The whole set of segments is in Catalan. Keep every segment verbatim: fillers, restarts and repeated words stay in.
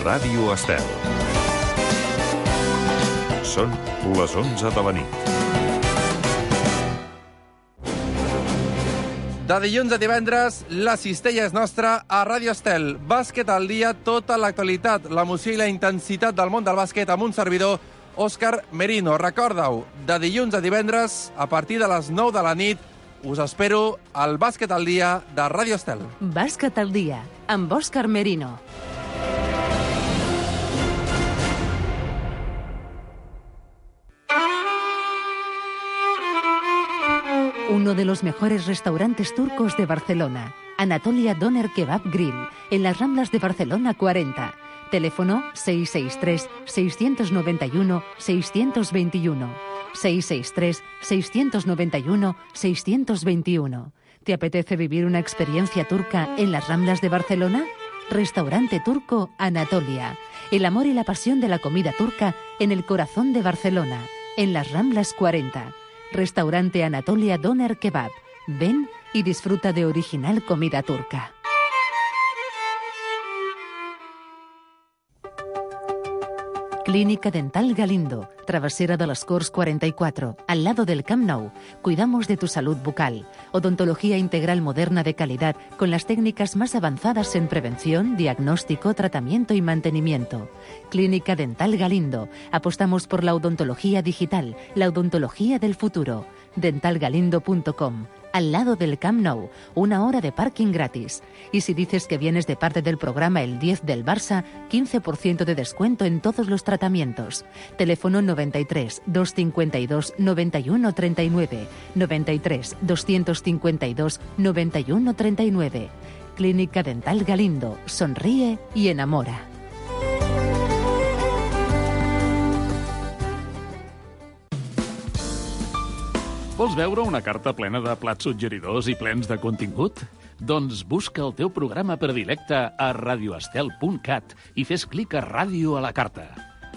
Ràdio Estel. Són les onze de la nit. De dilluns a divendres, la cistella és nostra a Ràdio Estel. Bàsquet al dia, tota l'actualitat, l'emoció i la intensitat del món del bàsquet amb un servidor, Òscar Merino. Recorda-ho, de dilluns a divendres, a partir de les nou de la nit, us espero al Bàsquet al dia de Ràdio Estel. Bàsquet al dia, amb Òscar Merino. Uno de los mejores restaurantes turcos de Barcelona, Anatolia Doner Kebab Grill, en las Ramblas de Barcelona cuarenta. Teléfono seis seis tres, seis nueve uno, seis dos uno. seis seis tres, seis nueve uno, seis dos uno. ¿Te apetece vivir una experiencia turca en las Ramblas de Barcelona? Restaurante turco Anatolia. El amor y la pasión de la comida turca en el corazón de Barcelona, en las Ramblas cuarenta. Restaurante Anatolia Doner Kebab. Ven y disfruta de original comida turca. Clínica Dental Galindo, Travesera de las Corts cuarenta y cuatro, al lado del Camp Nou. Cuidamos de tu salud bucal. Odontología integral moderna de calidad con las técnicas más avanzadas en prevención, diagnóstico, tratamiento y mantenimiento. Clínica Dental Galindo. Apostamos por la odontología digital, la odontología del futuro. dental galindo punto com. Al lado del Camp Nou, una hora de parking gratis. Y si dices que vienes de parte del programa El diez del Barça, quince por ciento de descuento en todos los tratamientos. Teléfono noventa y tres, doscientos cincuenta y dos, noventa y uno treinta y nueve, noventa y tres, doscientos cincuenta y dos, noventa y uno treinta y nueve. Clínica Dental Galindo. Sonríe y enamora. Vols veure una carta plena de plats suggeridors i plens de contingut? Doncs busca el teu programa predilecte a radioestel punt cat i fes clic a Ràdio a la carta.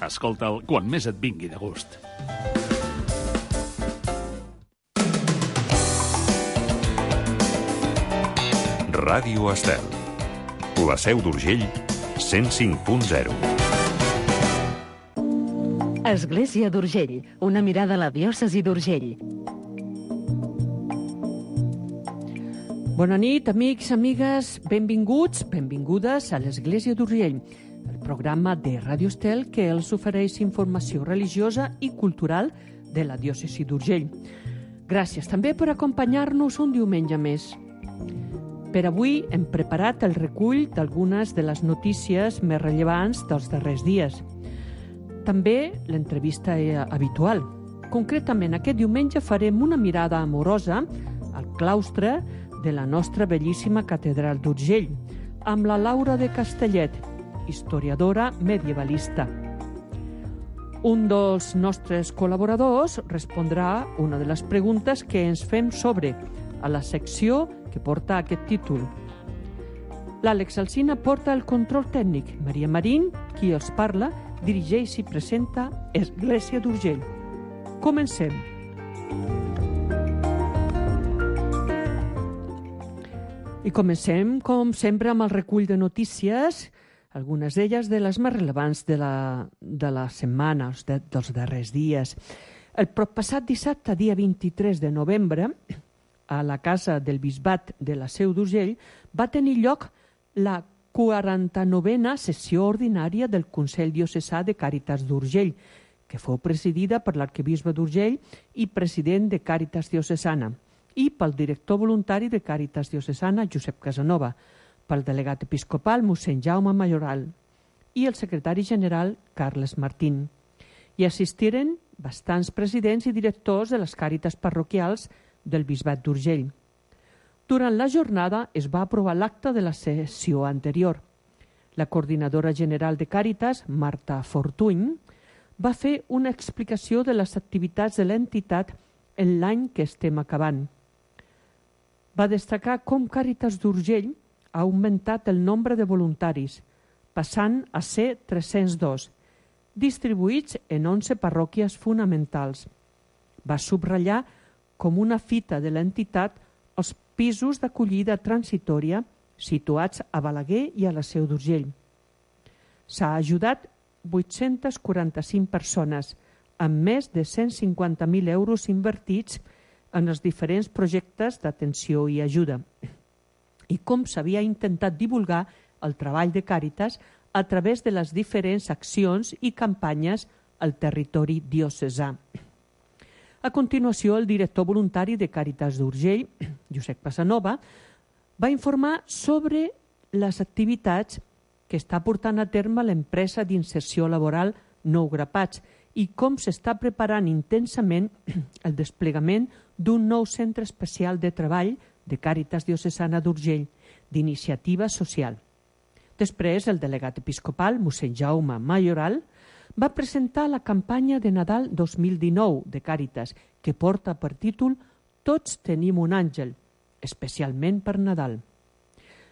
Escolta'l quan més et vingui de gust. Ràdio Estel. La Seu d'Urgell, cent cinc punt zero. Església d'Urgell, una mirada a la diòcesi d'Urgell. Bona nit, amics, amigues, benvinguts, benvingudes a l'Església d'Urgell, el programa de Ràdio Estel que els ofereix informació religiosa i cultural de la diòcesi d'Urgell. Gràcies també per acompanyar-nos un diumenge més. Per avui hem preparat el recull d'algunes de les notícies més rellevants dels darrers dies. També l'entrevista habitual. Concretament, aquest diumenge farem una mirada amorosa al claustre de la nostra bellíssima catedral d'Urgell, amb la Laura de Castellet, historiadora medievalista. Un dels nostres col·laboradors respondrà una de les preguntes que ens fem sobre a la secció que porta aquest títol. L'Àlex Alsina porta el control tècnic. Maria Marín, qui els parla, dirigeix i presenta Església d'Urgell. Comencem. I comencem, com sempre, amb el recull de notícies, algunes d'elles de les més relevants de la, de la setmana, de, dels darrers dies. El passat dissabte, dia vint-i-tres de novembre, a la Casa del Bisbat de la Seu d'Urgell, va tenir lloc la quaranta-novena sessió ordinària del Consell Diocesà de Càritas d'Urgell, que fou presidida per l'arquebisbe d'Urgell i president de Càritas Diocesana, i pel director voluntari de Càritas Diocesana, Josep Casanova, pel delegat episcopal, mossèn Jaume Majoral, i el secretari general, Carles Martín. Hi assistiren bastants presidents i directors de les càritas parroquials del Bisbat d'Urgell. Durant la jornada es va aprovar l'acte de la sessió anterior. La coordinadora general de Càritas, Marta Fortuny, va fer una explicació de les activitats de l'entitat en l'any que estem acabant. Va destacar com Càritas d'Urgell ha augmentat el nombre de voluntaris, passant a ser tres-cents dos, distribuïts en onze parròquies fonamentals. Va subratllar com una fita de l'entitat els pisos d'acollida transitòria situats a Balaguer i a la Seu d'Urgell. S'ha ajudat vuit-centes quaranta-cinc persones, amb més de cent cinquanta mil euros invertits en els diferents projectes d'atenció i ajuda. I com s'havia intentat divulgar el treball de Càritas a través de les diferents accions i campanyes al territori diocesà. A continuació, el director voluntari de Càritas d'Urgell, Josep Casanova, va informar sobre les activitats que està portant a terme l'empresa d'inserció laboral Nou Grapats i com s'està preparant intensament el desplegament d'un nou centre especial de treball de Càritas Diocesana d'Urgell, d'iniciativa social. Després, el delegat episcopal, mossèn Jaume Mayoral, va presentar la campanya de Nadal dos mil dinou de Càritas, que porta per títol Tots tenim un àngel, especialment per Nadal.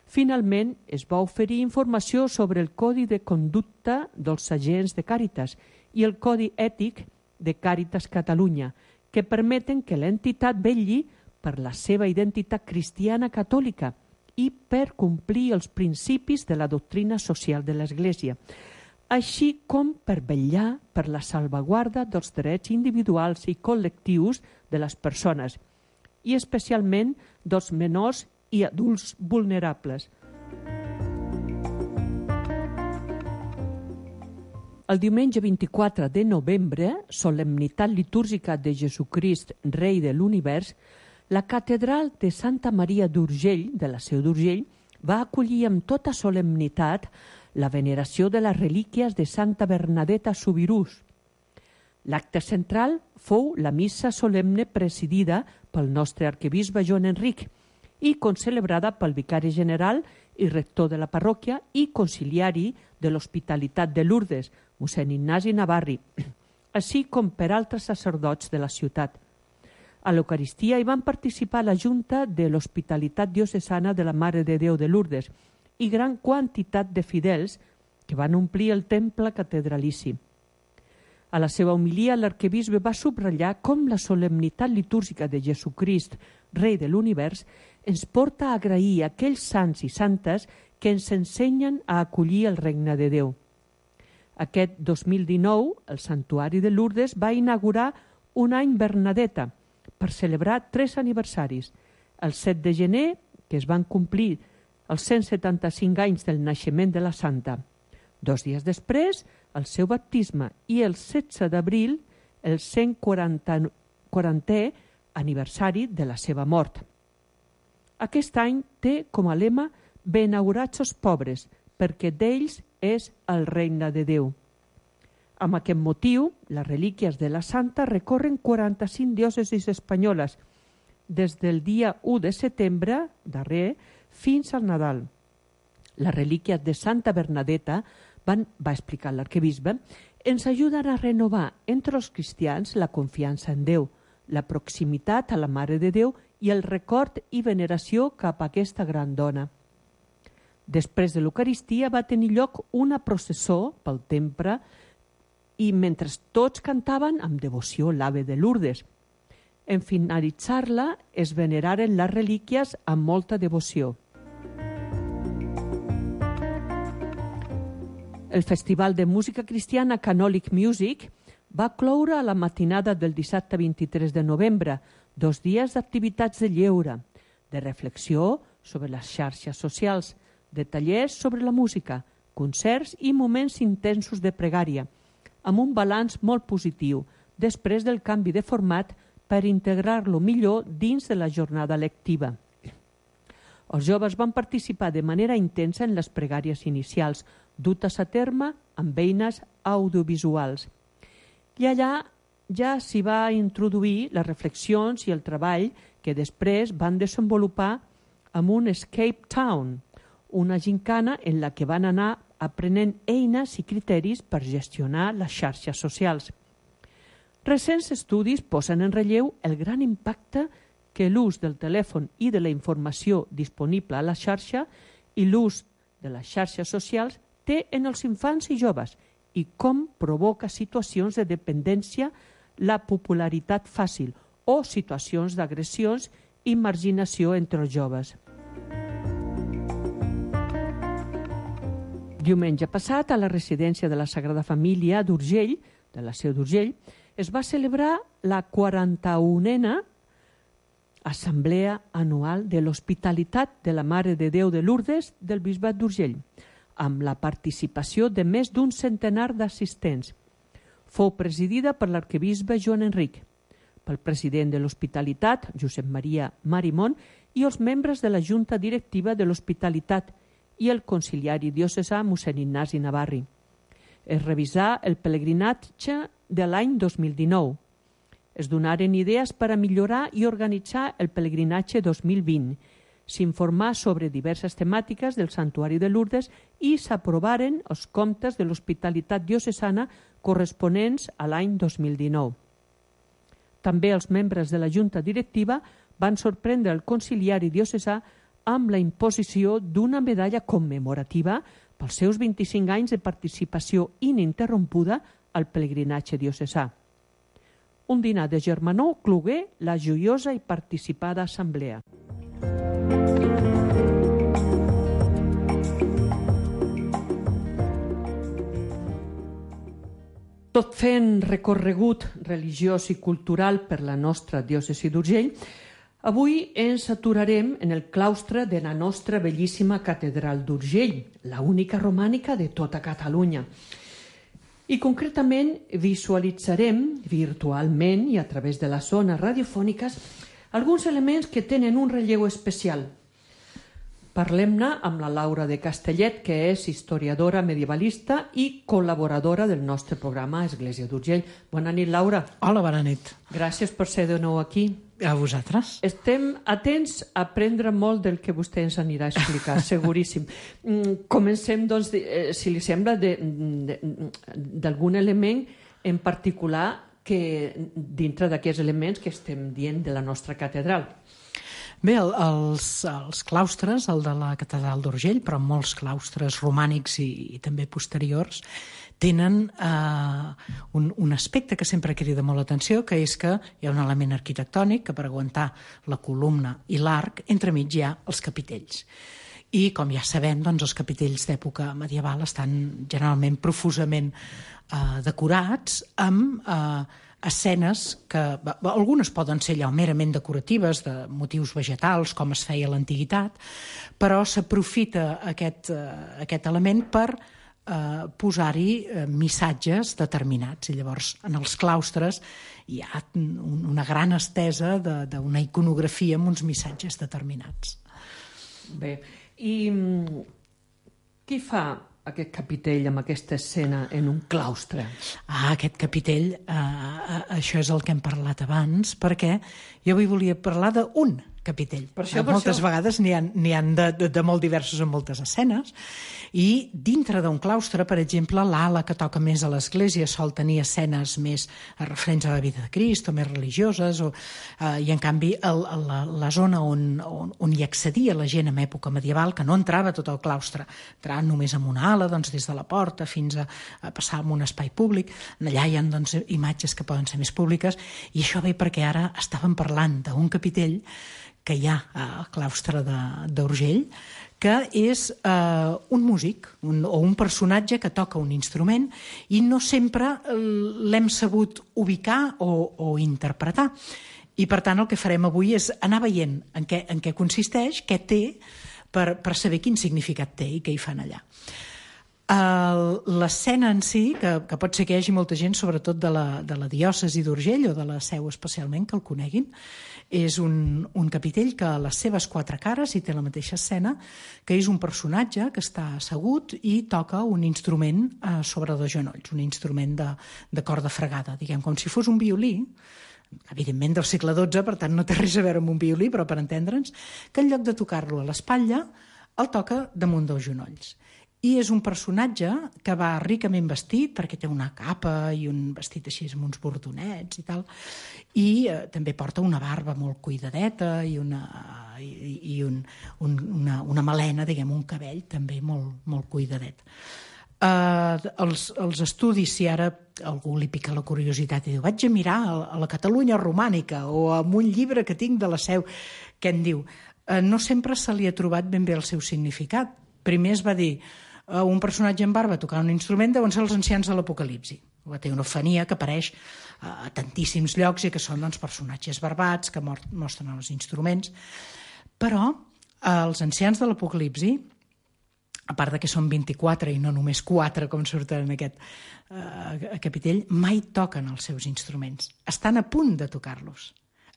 Finalment, es va oferir informació sobre el Codi de Conducta dels agents de Càritas i el Codi Ètic de Càritas Catalunya, que permeten que l'entitat vetlli per la seva identitat cristiana catòlica i per complir els principis de la doctrina social de l'Església, així com per vetllar per la salvaguarda dels drets individuals i col·lectius de les persones, i especialment dels menors i adults vulnerables. El diumenge vint-i-quatre de novembre, solemnitat litúrgica de Jesucrist, Rei de l'Univers, la catedral de Santa Maria d'Urgell, de la Seu d'Urgell, va acollir amb tota solemnitat la veneració de les relíquies de Santa Bernadeta Subirús. L'acte central fou la missa solemne presidida pel nostre arquebisbe Joan Enric i concelebrada pel vicari general i rector de la parròquia i conciliari de l'Hospitalitat de Lourdes, mossèn Ignasi Navarri, així com per altres sacerdots de la ciutat. A l'Eucaristia hi van participar la Junta de l'Hospitalitat Diocesana de la Mare de Déu de Lourdes i gran quantitat de fidels que van omplir el temple catedralici. A la seva homilia, l'arquebisbe va subratllar com la solemnitat litúrgica de Jesucrist, Rei de l'Univers, ens porta a agrair a aquells sants i santes que ens ensenyen a acollir el regne de Déu. Aquest dos mil dinou, el Santuari de Lourdes va inaugurar un any Bernadeta per celebrar tres aniversaris. El set de gener, que es van complir els cent setanta-cinc anys del naixement de la Santa. Dos dies després, el seu baptisme i el setze d'abril, el cent quarantè aniversari de la seva mort. Aquest any té com a lema «Benaurats els pobres, perquè d'ells és el regne de Déu». Amb aquest motiu, les relíquies de la Santa recorren quaranta-cinc diòcesis espanyoles, des del dia u de setembre, darrer, fins al Nadal. Les relíquies de Santa Bernadeta, van, va explicar l'arquebisbe, ens ajuden a renovar entre els cristians la confiança en Déu, la proximitat a la Mare de Déu i el record i veneració cap a aquesta gran dona. Després de l'Eucaristia va tenir lloc una processó pel temple i mentre tots cantaven amb devoció l'Ave de Lourdes. En finalitzar-la es veneraren les relíquies amb molta devoció. El Festival de Música Cristiana Canòlic Music va cloure a la matinada del dissabte vint-i-tres de novembre, dos dies d'activitats de lleure, de reflexió sobre les xarxes socials, de tallers sobre la música, concerts i moments intensos de pregària, amb un balanç molt positiu, després del canvi de format per integrar-lo millor dins de la jornada lectiva. Els joves van participar de manera intensa en les pregàries inicials, dutes a terme amb eines audiovisuals. I allà ja s'hi va introduir les reflexions i el treball que després van desenvolupar amb un Escape Town, una gincana en la que van anar aprenent eines i criteris per gestionar les xarxes socials. Recents estudis posen en relleu el gran impacte que l'ús del telèfon i de la informació disponible a la xarxa i l'ús de les xarxes socials té en els infants i joves i com provoca situacions de dependència, la popularitat fàcil o situacions d'agressions i marginació entre els joves. Diumenge passat, a la residència de la Sagrada Família d'Urgell, de la Seu d'Urgell, es va celebrar la quaranta-unena Assemblea Anual de l'Hospitalitat de la Mare de Déu de Lourdes del Bisbat d'Urgell, amb la participació de més d'un centenar d'assistents. Fou presidida per l'arquebisbe Joan Enric, pel president de l'Hospitalitat, Josep Maria Marimón, i els membres de la Junta Directiva de l'Hospitalitat i el conciliari diocesà mossèn Ignasi Navarri. Es revisà el pelegrinatge de l'any dos mil dinou. Es donaren idees per a millorar i organitzar el pelegrinatge dos mil vint. S'informà sobre diverses temàtiques del Santuari de Lourdes i s'aprovaren els comptes de l'Hospitalitat diocesana corresponents a l'any dos mil dinou. També els membres de la Junta Directiva van sorprendre el conciliari diocesà amb la imposició d'una medalla commemorativa pels seus vint-i-cinc anys de participació ininterrompuda al pelegrinatge diocesà. Un dinar de germanor clogué la joiosa i participada assemblea. Tot fent recorregut religiós i cultural per la nostra diòcesi d'Urgell, avui ens aturarem en el claustre de la nostra bellíssima catedral d'Urgell, la única romànica de tota Catalunya. I concretament visualitzarem virtualment i a través de les zones radiofòniques alguns elements que tenen un relleu especial. Parlem-ne amb la Laura de Castellet, que és historiadora medievalista i col·laboradora del nostre programa Església d'Urgell. Bona nit, Laura. Hola, bona nit. Gràcies per ser de nou aquí. A vosaltres. Estem atents a aprendre molt del que vostè ens anirà a explicar, seguríssim. Comencem, doncs, si li sembla, d'algun element en particular que dintre d'aquests elements que estem dient de la nostra catedral. Bé, el, els, els claustres, el de la catedral d'Urgell, però molts claustres romànics i, i també posteriors, tenen eh, un, un aspecte que sempre crida molt l'atenció, que és que hi ha un element arquitectònic que per aguantar la columna i l'arc, entremig hi ha els capitells. I, com ja sabem, doncs, els capitells d'època medieval estan generalment profusament eh, decorats amb eh, escenes que algunes poden ser allò merament decoratives, de motius vegetals, com es feia a l'antiguitat, però s'aprofita aquest, eh, aquest element per eh, posar-hi eh, missatges determinats. I llavors, en els claustres hi ha un, una gran estesa d'una iconografia amb uns missatges determinats. Bé, i qui fa aquest capitell amb aquesta escena en un claustre? Ah, aquest capitell, eh, això és el que hem parlat abans, perquè jo avui volia parlar d'un capitell. Per això, per Moltes això. vegades n'hi ha, n'hi ha de, de, de molt diversos en moltes escenes, i dintre d'un claustre, per exemple, l'ala que toca més a l'església sol tenir escenes més referents a la vida de Crist o més religioses, o, eh, i en canvi el, la, la zona on, on, on hi accedia la gent en època medieval, que no entrava tot el claustre, entrava només amb una ala, doncs, des de la porta fins a, a passar en un espai públic, allà hi ha, doncs, imatges que poden ser més públiques, i això ve perquè ara estàvem parlant d'un capitell que hi ha al claustre d'Urgell, que és eh, un músic un, o un personatge que toca un instrument i no sempre l'hem sabut ubicar o, o interpretar. I per tant el que farem avui és anar veient en què, en què consisteix, què té, per, per saber quin significat té i què hi fan allà. L'escena en si, que, que pot ser que hi hagi molta gent, sobretot de la, de la diòcesi d'Urgell o de la Seu especialment, que el coneguin, és un, un capitell que a les seves quatre cares hi té la mateixa escena, que és un personatge que està assegut i toca un instrument eh, sobre dos genolls, un instrument de, de corda fregada, diguem, com si fos un violí, evidentment del segle dotze, per tant no té res a veure amb un violí, però per entendre'ns, que en lloc de tocar-lo a l'espatlla, el toca damunt dels genolls. I és un personatge que va ricament vestit, perquè té una capa i un vestit així amb uns bordonets i tal, i eh, també porta una barba molt cuidadeta i una, i, i un, un, una, una melena, diguem, un cabell també molt, molt cuidadet. Eh, els, els estudis, si ara algú li pica la curiositat i diu vaig a mirar a la Catalunya romànica o amb un llibre que tinc de la Seu, què en diu? Eh, no sempre se li ha trobat ben bé el seu significat. Primer es va dir un personatge amb barba tocant un instrument, deuen ser els ancians de l'Apocalipsi. La teofania que apareix a tantíssims llocs i que són doncs, personatges barbats que mostren els instruments. Però els ancians de l'Apocalipsi, a part de que són vint-i-quatre i no només quatre com surten en aquest uh, capitell, mai toquen els seus instruments. Estan a punt de tocar-los.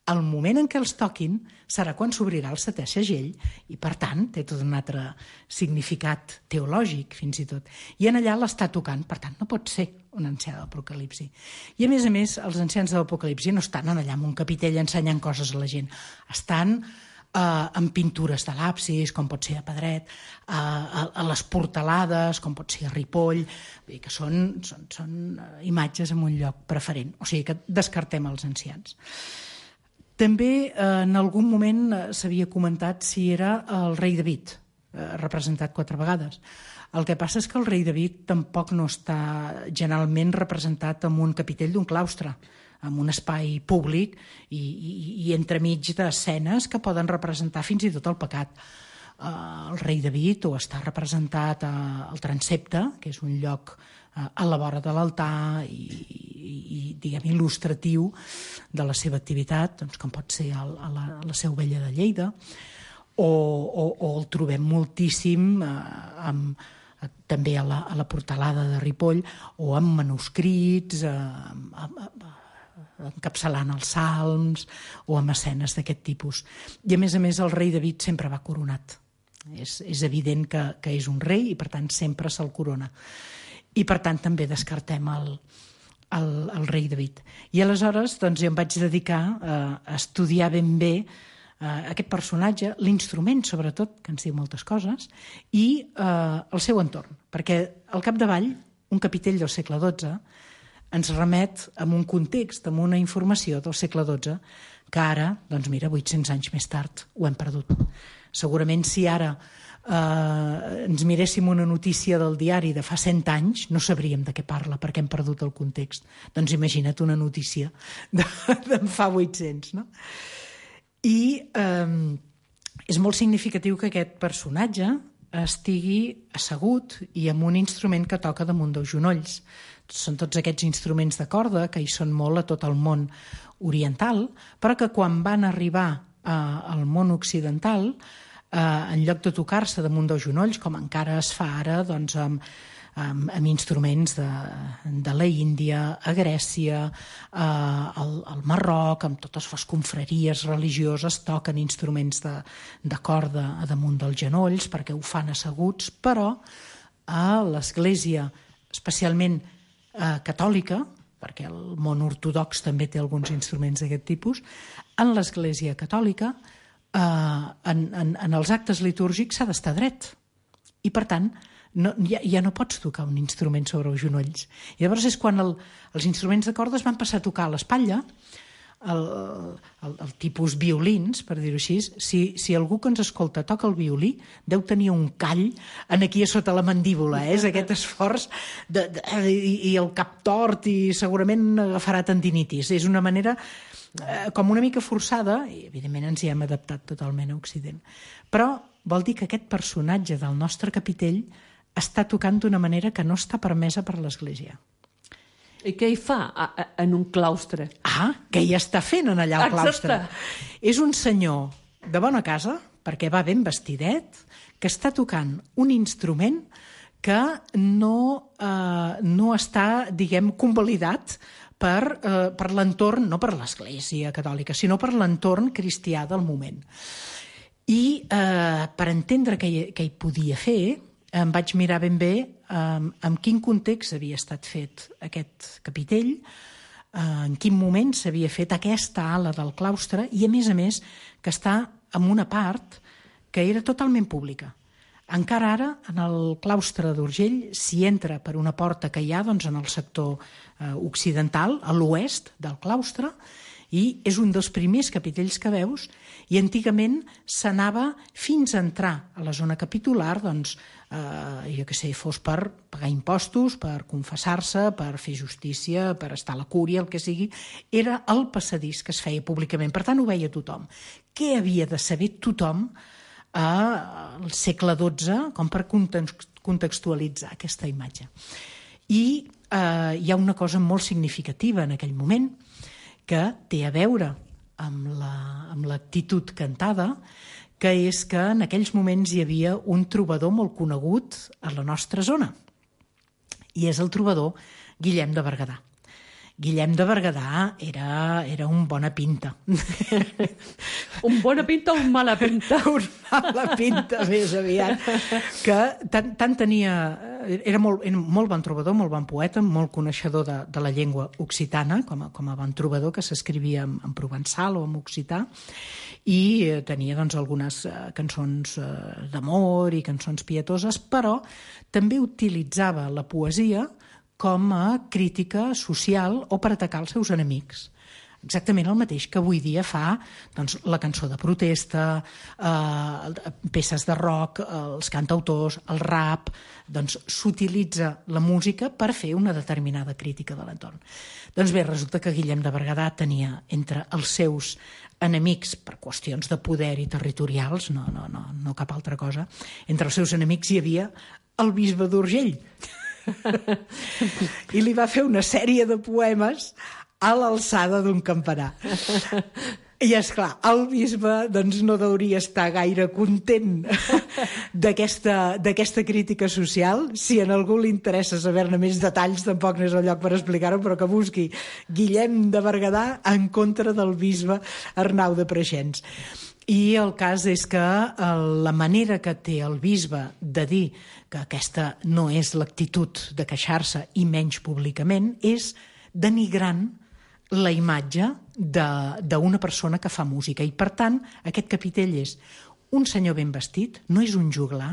El moment en què els toquin serà quan s'obrirà el setè segell i, per tant, té tot un altre significat teològic, fins i tot. I en allà l'està tocant, per tant, no pot ser un ancià de l'Apocalipsi. I, a més a més, els ancians de l'Apocalipsi no estan allà en un capitell ensenyant coses a la gent. Estan Uh, en pintures de l'absis, com pot ser a Pedret, uh, a, a les portalades, com pot ser a Ripoll, vull dir que són, són, són imatges en un lloc preferent. O sigui que descartem els ancians. També uh, en algun moment uh, s'havia comentat si era el rei David, uh, representat quatre vegades. El que passa és que el rei David tampoc no està generalment representat en un capitell d'un claustre, en un espai públic i, i, i entremig d'escenes que poden representar fins i tot el pecat. Uh, el rei David o està representat uh, al transepte, que és un lloc uh, a la vora de l'altar i, i, i diguem, il·lustratiu de la seva activitat, doncs, com pot ser el, a, la, a la Seu Vella de Lleida, o, o, o el trobem moltíssim uh, amb també a la, a la portalada de Ripoll o amb manuscrits, eh, amb, amb, encapçalant els salms o amb escenes d'aquest tipus. I a més a més el rei David sempre va coronat. És, és evident que, que és un rei i per tant sempre se'l corona. I per tant també descartem el, el, el rei David. I aleshores doncs, jo em vaig dedicar a, a estudiar ben bé Uh, aquest personatge, l'instrument sobretot, que ens diu moltes coses, i uh, el seu entorn, perquè al capdavall un capitell del segle dotze ens remet a un context, a una informació del segle dotze que ara, doncs mira, vuit-cents anys més tard ho hem perdut. Segurament si ara uh, ens miréssim una notícia del diari de fa cent anys no sabríem de què parla perquè hem perdut el context. Doncs imagina't una notícia de, de fa vuit-cents, no? I eh, és molt significatiu que aquest personatge estigui assegut i amb un instrument que toca damunt dels genolls. Són tots aquests instruments de corda que hi són molt a tot el món oriental, però que quan van arribar eh, al món occidental, eh, en lloc de tocar-se damunt dels genolls, com encara es fa ara doncs, amb, amb, amb instruments de, de la Índia, a Grècia, eh, al, al Marroc, amb totes les confraries religioses toquen instruments de, de corda a damunt dels genolls perquè ho fan asseguts, però a l'Església, especialment eh, catòlica, perquè el món ortodox també té alguns instruments d'aquest tipus, en l'Església catòlica, eh, en, en, en els actes litúrgics s'ha d'estar dret. I per tant, no, ja, ja no pots tocar un instrument sobre els genolls. I llavors és quan el, els instruments de cordes van passar a tocar a l'espatlla, el, el, el tipus violins, per dir-ho així. Si, si algú que ens escolta toca el violí, deu tenir un call en aquí a sota la mandíbula, eh? És aquest esforç de, de, i, i el cap tort i segurament agafarà tendinitis. És una manera eh, com una mica forçada, i evidentment ens hi hem adaptat totalment a Occident. Però vol dir que aquest personatge del nostre capitell està tocant d'una manera que no està permesa per l'Església. I què hi fa a, a, en un claustre? Ah, què hi està fent en allà al claustre? És un senyor de bona casa, perquè va ben vestidet, que està tocant un instrument que no, eh, no està, diguem, convalidat per, eh, per l'entorn, no per l'Església catòlica, sinó per l'entorn cristià del moment. I eh, per entendre què hi, què hi podia fer, em vaig mirar ben bé um, en quin context havia estat fet aquest capitell, uh, en quin moment s'havia fet aquesta ala del claustre i, a més a més, que està en una part que era totalment pública. Encara ara, en el claustre d'Urgell, s'hi entra per una porta que hi ha doncs, en el sector uh, occidental, a l'oest del claustre, i és un dels primers capitells que veus, i antigament s'anava fins a entrar a la zona capitular, doncs, eh, jo què sé, fos per pagar impostos, per confessar-se, per fer justícia, per estar a la cúria, el que sigui, era el passadís que es feia públicament. Per tant, ho veia tothom. Què havia de saber tothom al segle dotze com per contextualitzar aquesta imatge. I eh, hi ha una cosa molt significativa en aquell moment que té a veure amb la, amb l'actitud cantada, que és que en aquells moments hi havia un trobador molt conegut a la nostra zona, i és el trobador Guillem de Berguedà. Guillem de Berguedà era, era un bona pinta. Un bona pinta o un mala pinta? Un mala pinta, més aviat. Que tant, tant tenia... Era molt, era molt bon trobador, molt bon poeta, molt coneixedor de, de la llengua occitana, com a, com a bon trobador, que s'escrivia en, en provençal o en occità, i eh, tenia doncs, algunes eh, cançons eh, d'amor i cançons pietoses, però també utilitzava la poesia com a crítica social o per atacar els seus enemics. Exactament el mateix que avui dia fa doncs, la cançó de protesta, eh, peces de rock, els cantautors, el rap. Doncs s'utilitza la música per fer una determinada crítica de l'entorn. Doncs bé, resulta que Guillem de Berguedà tenia entre els seus enemics, per qüestions de poder i territorials, no, no, no, no cap altra cosa, entre els seus enemics hi havia el bisbe d'Urgell. I li va fer una sèrie de poemes a l'alçada d'un campanar. I, esclar, el bisbe doncs, no hauria estar gaire content d'aquesta d'aquesta crítica social. Si a algú li interessa saber-ne més detalls, tampoc no és el lloc per explicar-ho, però que busqui Guillem de Berguedà en contra del bisbe Arnau de Preixens. I el cas és que la manera que té el bisbe de dir que aquesta no és l'actitud de queixar-se, i menys públicament, és denigrant la imatge d'una persona que fa música. I, per tant, aquest capitell és un senyor ben vestit, no és un joglar,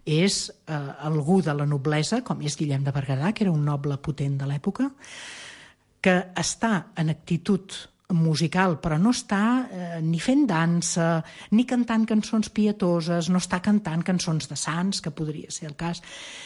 és eh, algú de la noblesa, com és Guillem de Berguedà, que era un noble potent de l'època, que està en actitud musical, però no està eh, ni fent dansa, ni cantant cançons pietoses, no està cantant cançons de sants, que podria ser el cas,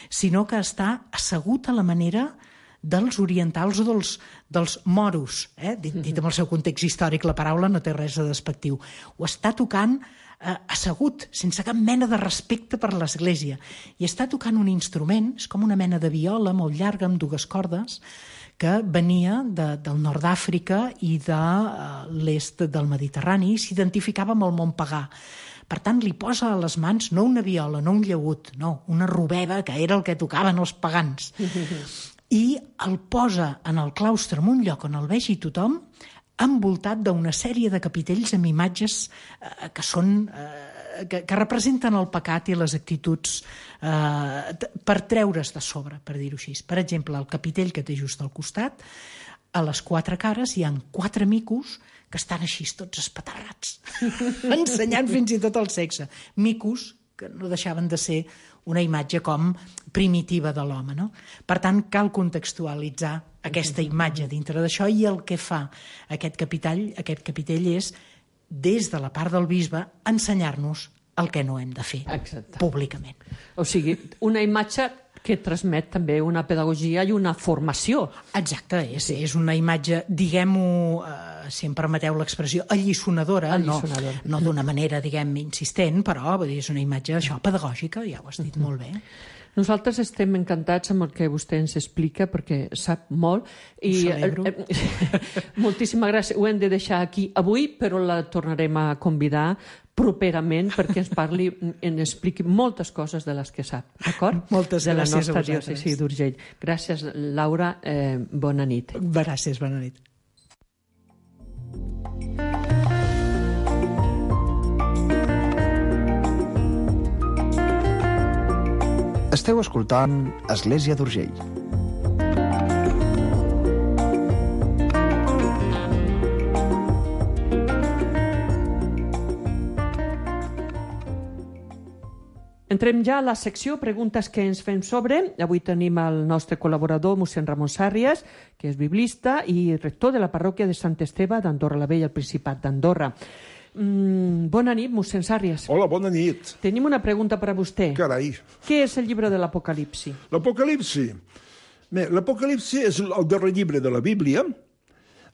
sinó que està assegut a la manera dels orientals o dels, dels moros. Eh? Dit, dit amb el seu context històric, la paraula no té res de despectiu. Ho està tocant eh, assegut, sense cap mena de respecte per l'Església. I està tocant un instrument, és com una mena de viola molt llarga, amb dues cordes, que venia de, del nord d'Àfrica i de uh, l'est del Mediterrani, i s'identificava amb el món pagà. Per tant, li posa a les mans no una viola, no un llaüt, no, una robeba, que era el que tocaven els pagans. I el posa en el claustre, en un lloc on el vegi tothom, envoltat d'una sèrie de capitells amb imatges eh, que són... Eh, Que, que representen el pecat i les actituds eh, per treure's de sobre, per dir-ho així. Per exemple, el capitell que té just al costat, a les quatre cares hi ha quatre micos que estan així tots espaterrats, ensenyant fins i tot el sexe. Micos que no deixaven de ser una imatge com primitiva de l'home, no? Per tant, cal contextualitzar aquesta imatge dintre d'això, i el que fa aquest capitell, aquest capitell és, des de la part del bisbe, ensenyar-nos el que no hem de fer. Exacte. Públicament. O sigui, una imatge que transmet també una pedagogia i una formació. Exacte, és, és una imatge, diguem-ho, eh, si em permeteu l'expressió, alliçonadora, alliçonadora. no, no d'una manera, diguem, insistent, però vull dir, és una imatge, això, pedagògica, ja ho has dit uh-huh. molt bé. Nosaltres estem encantats amb el que vostè ens explica, perquè sap molt. I, ho celebro. Eh, eh, moltíssimes gràcies. Ho hem de deixar aquí avui, però la tornarem a convidar properament perquè ens parli, ens expliqui moltes coses de les que sap, d'acord? Moltes de gràcies a vosaltres. De la nostra diòcesi d'Urgell. Gràcies, Laura. Eh, bona nit. Gràcies, bona nit. Esteu escoltant Església d'Urgell. Entrem ja a la secció Preguntes que ens fem sobre. Avui tenim el nostre col·laborador, mossèn Ramon Sàrries, que és biblista i rector de la parròquia de Sant Esteve d'Andorra la Vella, al Principat d'Andorra. Mm, bona nit, mossèn Sàrries. Hola, bona nit. Tenim una pregunta per a vostè. Carai. Què és el llibre de l'Apocalipsi? L'Apocalipsi? Bé, l'Apocalipsi és el darrer llibre de la Bíblia.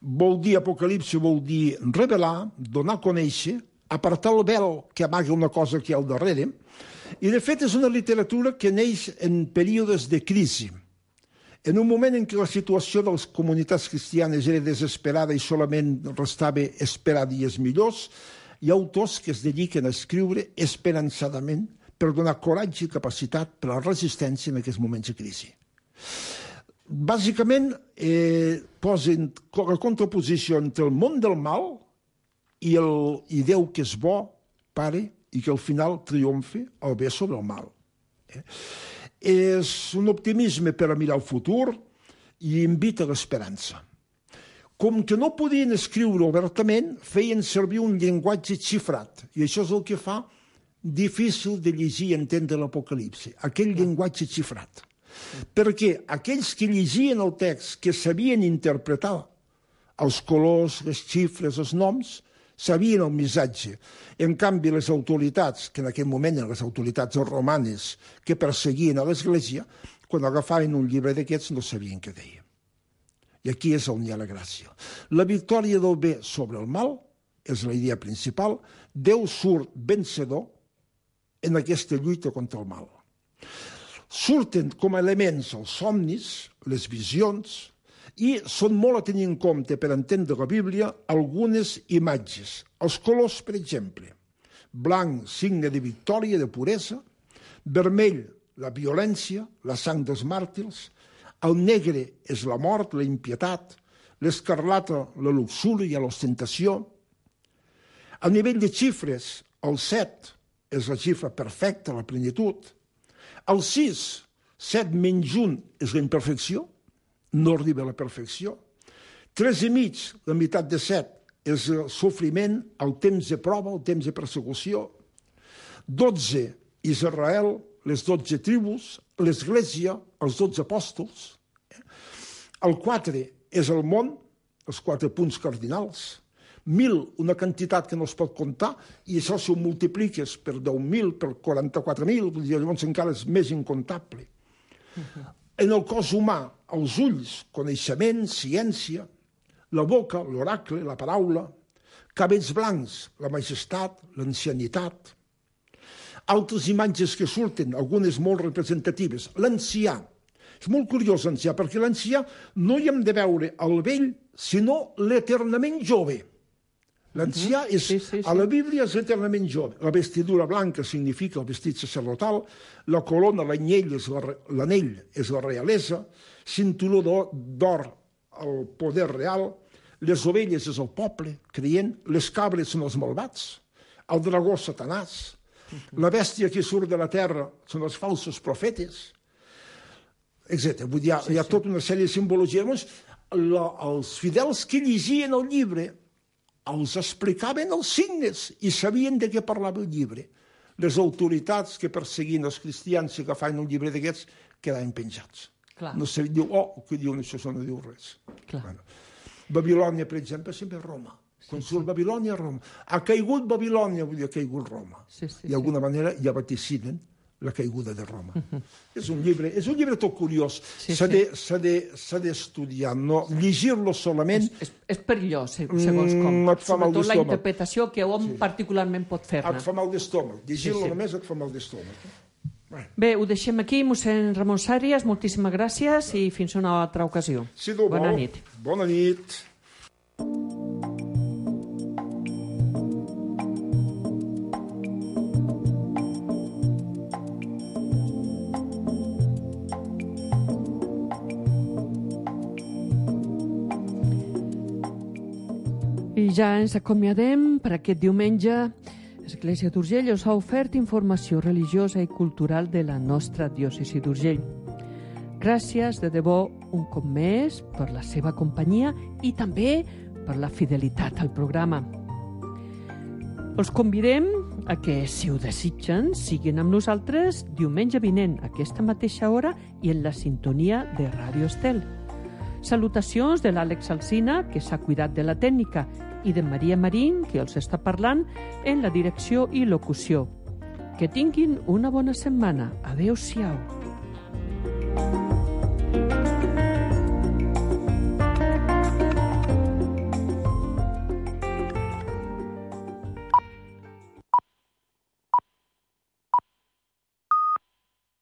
Vol dir, Apocalipsi vol dir revelar, donar a conèixer, apartar el vel que amaga una cosa que hi ha al darrere. I, de fet, és una literatura que neix en períodes de crisi. En un moment en què la situació de les comunitats cristianes era desesperada i solament restava esperar dies millors, hi ha autors que es dediquen a escriure esperançadament per donar coratge i capacitat per a la resistència en aquests moments de crisi. Bàsicament, eh, posen la contraposició entre el món del mal i, el, i Déu, que és bo, pare, i que al final triomfi el bé sobre el mal. Eh? És un optimisme per a mirar el futur i invita a l'esperança. Com que no podien escriure obertament, feien servir un llenguatge xifrat, i això és el que fa difícil de llegir i entendre l'Apocalipsi, aquell llenguatge xifrat. Perquè aquells que llegien el text, que sabien interpretar els colors, les xifres, els noms, sabien el missatge. En canvi, les autoritats, que en aquell moment eren les autoritats romanes que perseguien a l'Església, quan agafaven un llibre d'aquests no sabien què deia. I aquí és on hi ha la gràcia. La victòria del bé sobre el mal és la idea principal. Déu surt vencedor en aquesta lluita contra el mal. Surten com a elements els somnis, les visions, i són molt a tenir en compte per entendre la Bíblia algunes imatges. Els colors, per exemple. Blanc, signe de victòria, de puresa. Vermell, la violència, la sang dels màrtirs. El negre és la mort, la impietat. L'escarlata, la luxúria, l'ostentació. A nivell de xifres, el set és la xifra perfecta, la plenitud. El sis, set menys un, és la imperfecció, no arriba a la perfecció. Tres i mig, la meitat de set, és el sofriment, el temps de prova, el temps de persecució. Dotze, Israel, les dotze tribus, l'Església, els dotze apòstols. El quatre és el món, els quatre punts cardinals. Mil, una quantitat que no es pot comptar, i això si ho multipliques per deu mil, per quaranta-quatre mil, llavors encara és més incomptable. Uh-huh. En el cos humà, els ulls, coneixement, ciència, la boca, l'oracle, la paraula, cabells blancs, la majestat, l'ancianitat. Altres imatges que surten, algunes molt representatives. L'ancià. És molt curiós l'ancià, perquè l'ancià no hi hem de veure el vell, sinó l'eternament jove. L'ancià és, sí, sí, sí. A la Bíblia és eternament jove. La vestidura blanca significa el vestit sacerdotal, la corona, l'anyell és la, l'anell és la realesa, cinturó d'or el poder real, les ovelles és el poble creient, les cabres són els malvats, el dragó Satanàs, la bèstia que surt de la terra són els falsos profetes, etcètera. Vull dir, hi ha, sí, hi ha tota una sèrie de simbologies. La, els fidels que llegien el llibre els explicaven els signes i sabien de què parlava el llibre. Les autoritats que perseguien els cristians i agafaven un llibre d'aquests quedaven penjats. Clar. No se diu, oh, què diuen això, això no diu res. Bueno. Babilònia, per exemple, sempre és Roma. Quan sí, surt sí. Babilònia, Roma. Ha caigut Babilònia, vull dir, ha caigut Roma. Sí, sí, I d'alguna sí. manera ja vaticinen la caiguda de Roma. Uh-huh. És un llibre, és un llibre tot curiós. Sí, s'ha, sí. de, s'ha, de, s'ha d'estudiar, no? Llegir-lo solament... És, és, és perillós, segons com. Mm, Sobretot la interpretació que hom sí. particularment pot fer-ne. Et fa mal d'estómac. Llegir-lo sí, sí. només et fa mal d'estómac. Bueno. Bé, ho deixem aquí, mossèn Ramon Sàries. Moltíssimes gràcies i fins una altra ocasió. Si no Bona vol. nit. Bona nit. I ja ens acomiadem per aquest diumenge. L'Església d'Urgell us ha ofert informació religiosa i cultural de la nostra diòcesi d'Urgell. Gràcies de debò un cop més per la seva companyia i també per la fidelitat al programa. Els convidem a que, si ho desitgen, siguin amb nosaltres diumenge vinent a aquesta mateixa hora i en la sintonia de Ràdio Estel. Salutacions de l'Àlex Alsina, que s'ha cuidat de la tècnica, i de Maria Marín, que els està parlant en la direcció i locució. Que tinguin una bona setmana. Adéu-siau.